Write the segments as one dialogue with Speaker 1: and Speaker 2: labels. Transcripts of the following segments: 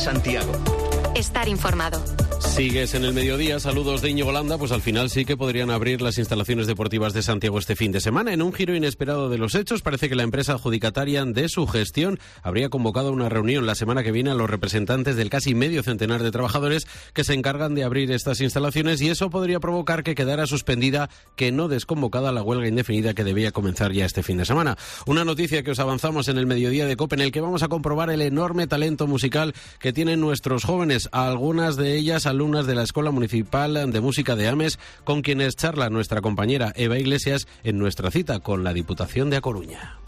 Speaker 1: Santiago.
Speaker 2: Estar informado.
Speaker 3: Sigues en el mediodía, saludos de Íñigo Landa, pues al final sí que podrían abrir las instalaciones deportivas de Santiago este fin de semana. En un giro inesperado de los hechos, parece que la empresa adjudicataria de su gestión habría convocado una reunión la semana que viene a los representantes del casi medio centenar de trabajadores que se encargan de abrir estas instalaciones, y eso podría provocar que quedara suspendida, que no desconvocada, la huelga indefinida que debía comenzar ya este fin de semana. Una noticia que os avanzamos en el mediodía de COPE, en el que vamos a comprobar el enorme talento musical que tienen nuestros jóvenes, algunas de ellas alumnas de la Escuela Municipal de Música de Ames, con quienes charla nuestra compañera Eva Iglesias en nuestra cita con la Diputación de A Coruña.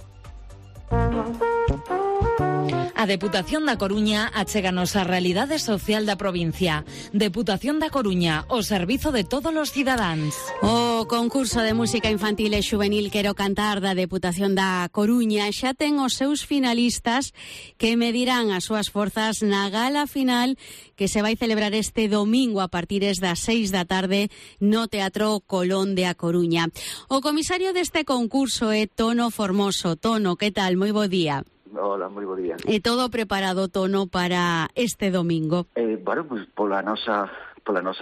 Speaker 4: A Deputación da Coruña achéganos a realidade social da provincia. Deputación da Coruña, o servizo de todos os cidadáns.
Speaker 5: O concurso de música infantil e xuvenil Quero Cantar da Deputación da Coruña xa ten os seus finalistas que medirán as súas forzas na gala final que se vai celebrar este domingo a partir das 6 da tarde no Teatro Colón de A Coruña. O comisario deste concurso é Tono Formoso. Tono, que tal? Moi bo día.
Speaker 6: Hola, moi bo día.
Speaker 5: E todo preparado, Tono, para este domingo?
Speaker 6: Bueno, pues pola nosa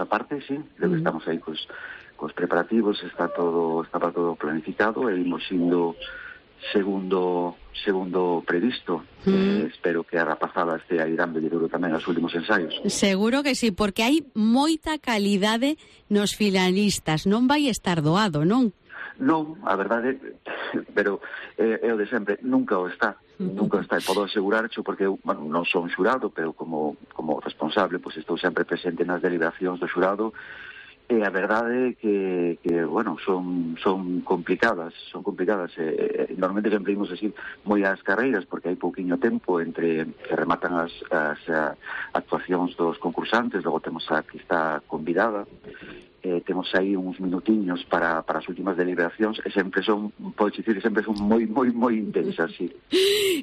Speaker 6: parte, sí. Estamos aí cos preparativos, está todo planificado e imos indo segundo previsto. Espero que a rapazada este aí dándolle duro tamén aos últimos ensaios.
Speaker 5: Seguro que sí, porque hai moita calidade nos finalistas. Non vai estar doado, non?
Speaker 6: Non, a verdade, pero é o de sempre, nunca o está. Nunca está, e podo asegurarcho porque eu, non son xurado, pero como responsable, pois estou sempre presente nas deliberacións do xurado, e a verdade que bueno, son complicadas, normalmente sempre imos así moi ás carreiras, porque hai pouquiño tempo entre que rematan as actuacións dos concursantes, logo temos a que está convidada, temos aí uns minutiños para as últimas deliberacións, e sempre son, podes dicir, sempre son moi intensas, sí.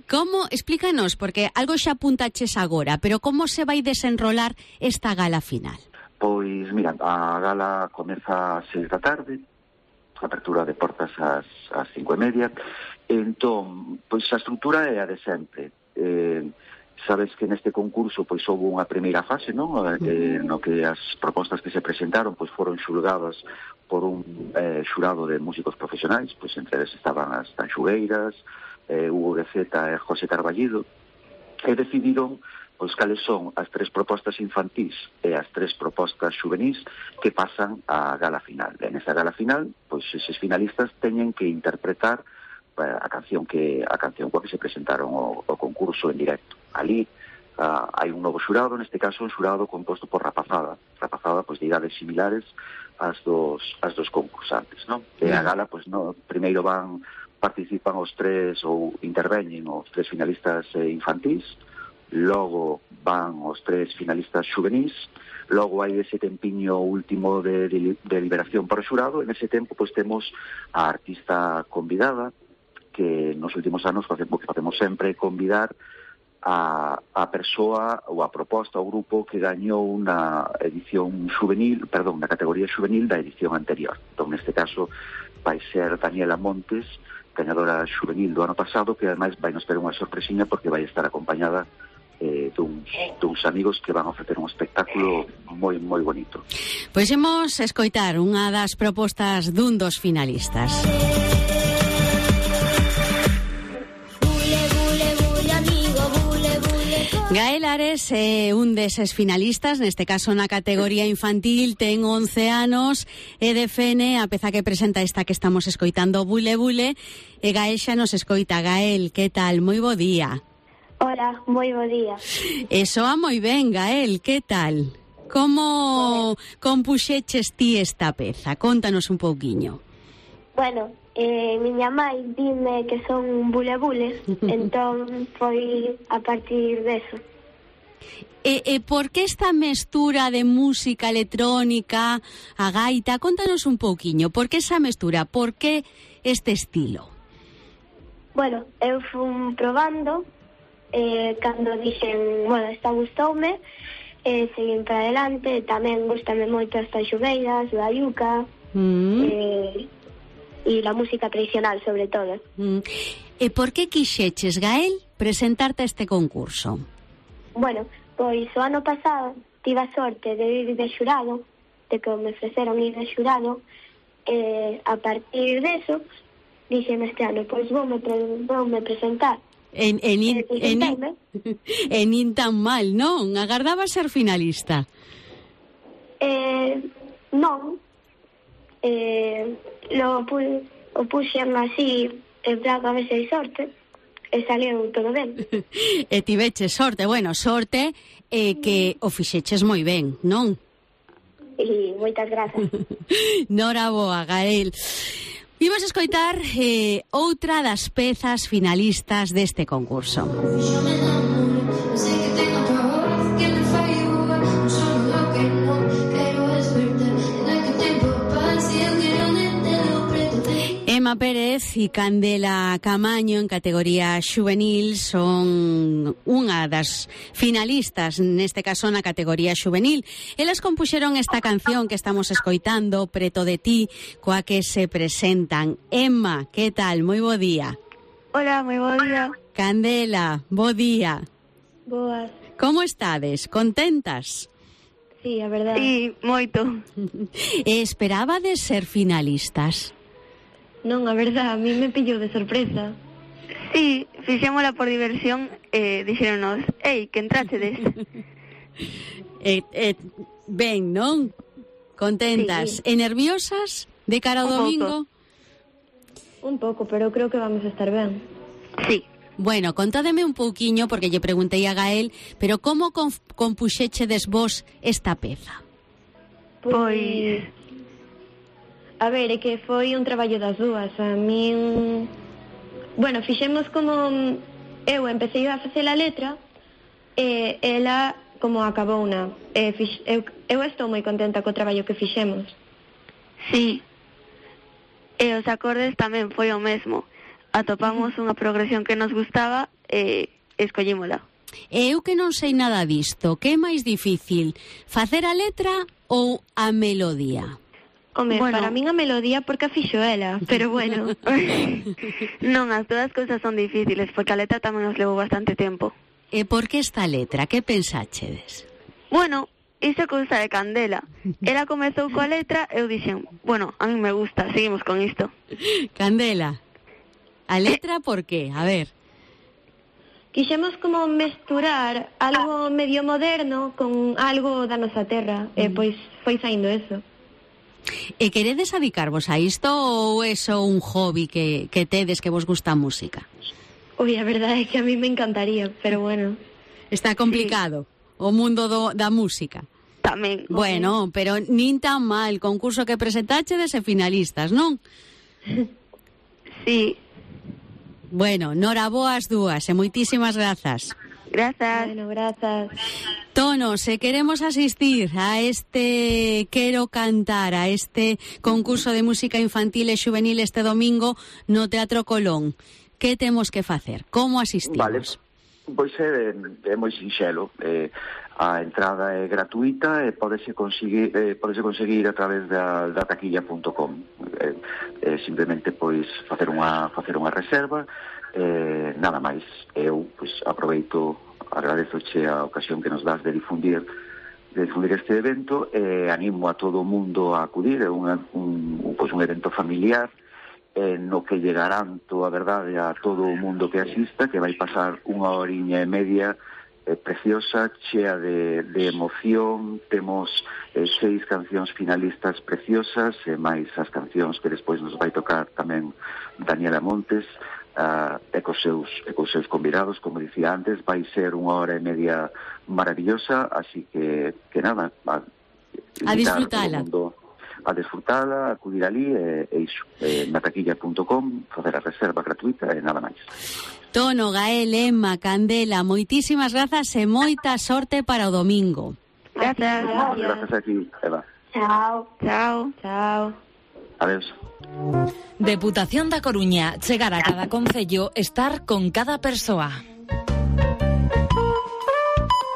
Speaker 5: Como, explícanos, porque algo xa apuntaches agora, pero como se vai desenrolar esta gala final?
Speaker 6: Pois, mira, a gala comeza ás 6 da tarde, apertura de portas ás 5:30, entón, pois a estrutura é a de sempre. Sabes que neste concurso pois houve unha primeira fase, non? No que as propostas que se presentaron pois foron xulgadas por un xurado de músicos profesionais, pois entre eles estaban as Tanxugueiras, Hugo Gueceta e José Carballido, e decidiron pois cales son as 3 propostas infantís e as 3 propostas xuvenís que pasan á gala final. E nesa gala final, pois eses finalistas teñen que interpretar a canción coa que se presentaron o concurso en directo. Ali hai un novo xurado, neste caso un xurado composto por rapazada pois de idades similares ás dos concursantes, non? E a gala, pois no, primeiro participan os 3 ou interveñen os 3 finalistas infantís, logo van os 3 finalistas xuvenís, logo hai ese tempiño último de deliberación para o xurado, e nese tempo pois temos a artista convidada, que nos últimos anos facemos sempre convidar a persoa ou a proposta, ao grupo que gañou na edición xuvenil, na categoría xuvenil da edición anterior. Entón, neste caso, vai ser Daniela Montes, gañadora xuvenil do ano pasado, que ademais vai nos ter unha sorpresiña porque vai estar acompañada duns amigos que van a ofrecer un espectáculo moi bonito.
Speaker 5: Pois imos escoitar unha das propostas dun dos finalistas. Gael Ares é un deses finalistas, neste caso na categoría infantil, ten 11 anos e defene a peza que presenta esta que estamos escoitando, Bule Bule, e Gael xa nos escoita. Gael, que tal? Moi bo día.
Speaker 7: Hola, moi bo día.
Speaker 5: E soa moi ben, Gael, que tal? Como compuxeches ti esta peza? Contanos un pouquiño.
Speaker 7: Bueno, miña mãe dime que son bule-bule, entón foi a partir deso.
Speaker 5: E por que esta mestura de música electrónica, a gaita? Contanos un pouquiño, por que esa mestura, por que este estilo?
Speaker 7: Bueno, eu fui probando, cando dixen, bueno, esta gustoume, seguín para adelante, tamén gustame moito as tanxugueiras, o ayuca, e a música tradicional, sobre todo.
Speaker 5: E por que quixeches, Gael, presentarte a este concurso?
Speaker 7: Bueno, Pois o ano pasado tive a sorte de ir de xurado, de que me ofreceron ir de xurado, a partir deso, dixeme este ano, pois voume presentar.
Speaker 5: E nin tan mal, non? Agardaba ser finalista?
Speaker 7: Non. O puxen así, en plan a ver se hai sorte, e saliu todo ben.
Speaker 5: E tiveche sorte, bueno, sorte que o fixeches moi ben, non?
Speaker 7: E moitas grazas.
Speaker 5: Nora boa, Gael. Vimos escoitar outra das pezas finalistas deste concurso. Emma Pérez e Candela Camaño en categoría xuvenil son unha das finalistas, neste caso na categoría xuvenil. Elas compuxeron esta canción que estamos escoitando, Preto de ti, coa que se presentan. Emma, que tal? Moi bo día.
Speaker 1: Hola, moi bo día.
Speaker 5: Candela, bo día.
Speaker 1: Boas.
Speaker 5: Como estades? Contentas?
Speaker 1: Sí, a verdade. Sí, moito.
Speaker 5: Esperabades ser finalistas?
Speaker 1: Non, a verdade, a mí me pillou de sorpresa. Sí, fixémola por diversión e dixéronos, ei, que entrachedes.
Speaker 5: Ben, non? Contentas.
Speaker 1: Sí.
Speaker 5: E nerviosas de cara ao domingo?
Speaker 1: Un pouco, pero creo que vamos a estar ben. Sí.
Speaker 5: Bueno, contádeme un pouquiño, porque lle preguntei a Gael, pero como compuxéchedes vos esta peza?
Speaker 1: Pois... A ver, é que foi un traballo das dúas. A min... Bueno, fixemos como... Eu empecé a facer a letra e ela como acabou unha. Eu estou moi contenta co traballo que fixemos. Sí. E os acordes tamén foi o mesmo. Atopamos unha progresión que nos gustaba e escollímola.
Speaker 5: E eu que non sei nada disto, que é máis difícil, facer a letra ou a melodía?
Speaker 1: Home, bueno, para min a melodía porque a fixo ela, pero bueno. Non, as todas cousas son difíciles, porque a letra tamén nos levou bastante tempo.
Speaker 5: E por que esta letra? Que pensáchedes?
Speaker 1: Bueno, iso cousa de Candela. Ela comezou coa letra e eu dixen, bueno, a mí me gusta, seguimos con isto.
Speaker 5: Candela, a letra por qué? A ver.
Speaker 1: Quixemos como mesturar algo medio moderno con algo da nosa terra, e pois foi saindo eso.
Speaker 5: E queredes adicarvos a isto ou é só un hobby que tedes que vos gusta a música?
Speaker 1: Ui, a verdade é que a mí me encantaría, pero bueno.
Speaker 5: Está complicado o mundo da música.
Speaker 1: Tamén.
Speaker 5: Bueno, pero nin tan mal, concurso que presentachedes e finalistas, non?
Speaker 1: Sí.
Speaker 5: Bueno, noraboa as dúas e moitísimas grazas.
Speaker 1: Grazas. Bueno, grazas.
Speaker 5: Tono, se queremos asistir a este Quero Cantar, a este concurso de música infantil e xuvenil este domingo no Teatro Colón, que temos que facer? Como asistimos?
Speaker 6: Vale, pois é moi sinxelo. A entrada é gratuita e podese conseguir a través da taquilla.com. Simplemente pois facer unha reserva. Nada máis. Eu pois aproveito, agradezoche a ocasión que nos das de difundir este evento e animo a todo o mundo a acudir. É un evento familiar no que lle garanto a verdade a todo o mundo que asista, que vai pasar unha horiña e media preciosa, chea de emoción. Temos 6 cancións finalistas preciosas e máis as cancións que despois nos vai tocar tamén Daniela Montes e cos seus convidados, como dicía antes. Vai ser unha hora e media maravillosa, así que nada,
Speaker 5: a disfrutala.
Speaker 6: A disfrutala, acudir ali e iso, na taquilla.com, facer a reserva gratuita e nada máis.
Speaker 5: Tono, Gael, Emma, Candela, moitísimas grazas e moita sorte para o domingo.
Speaker 1: Grazas.
Speaker 6: Grazas a ti, Eva.
Speaker 7: Chao.
Speaker 1: Chao. Chao.
Speaker 6: Adeus.
Speaker 4: Deputación da Coruña, chegar a cada concello, estar con cada persoa.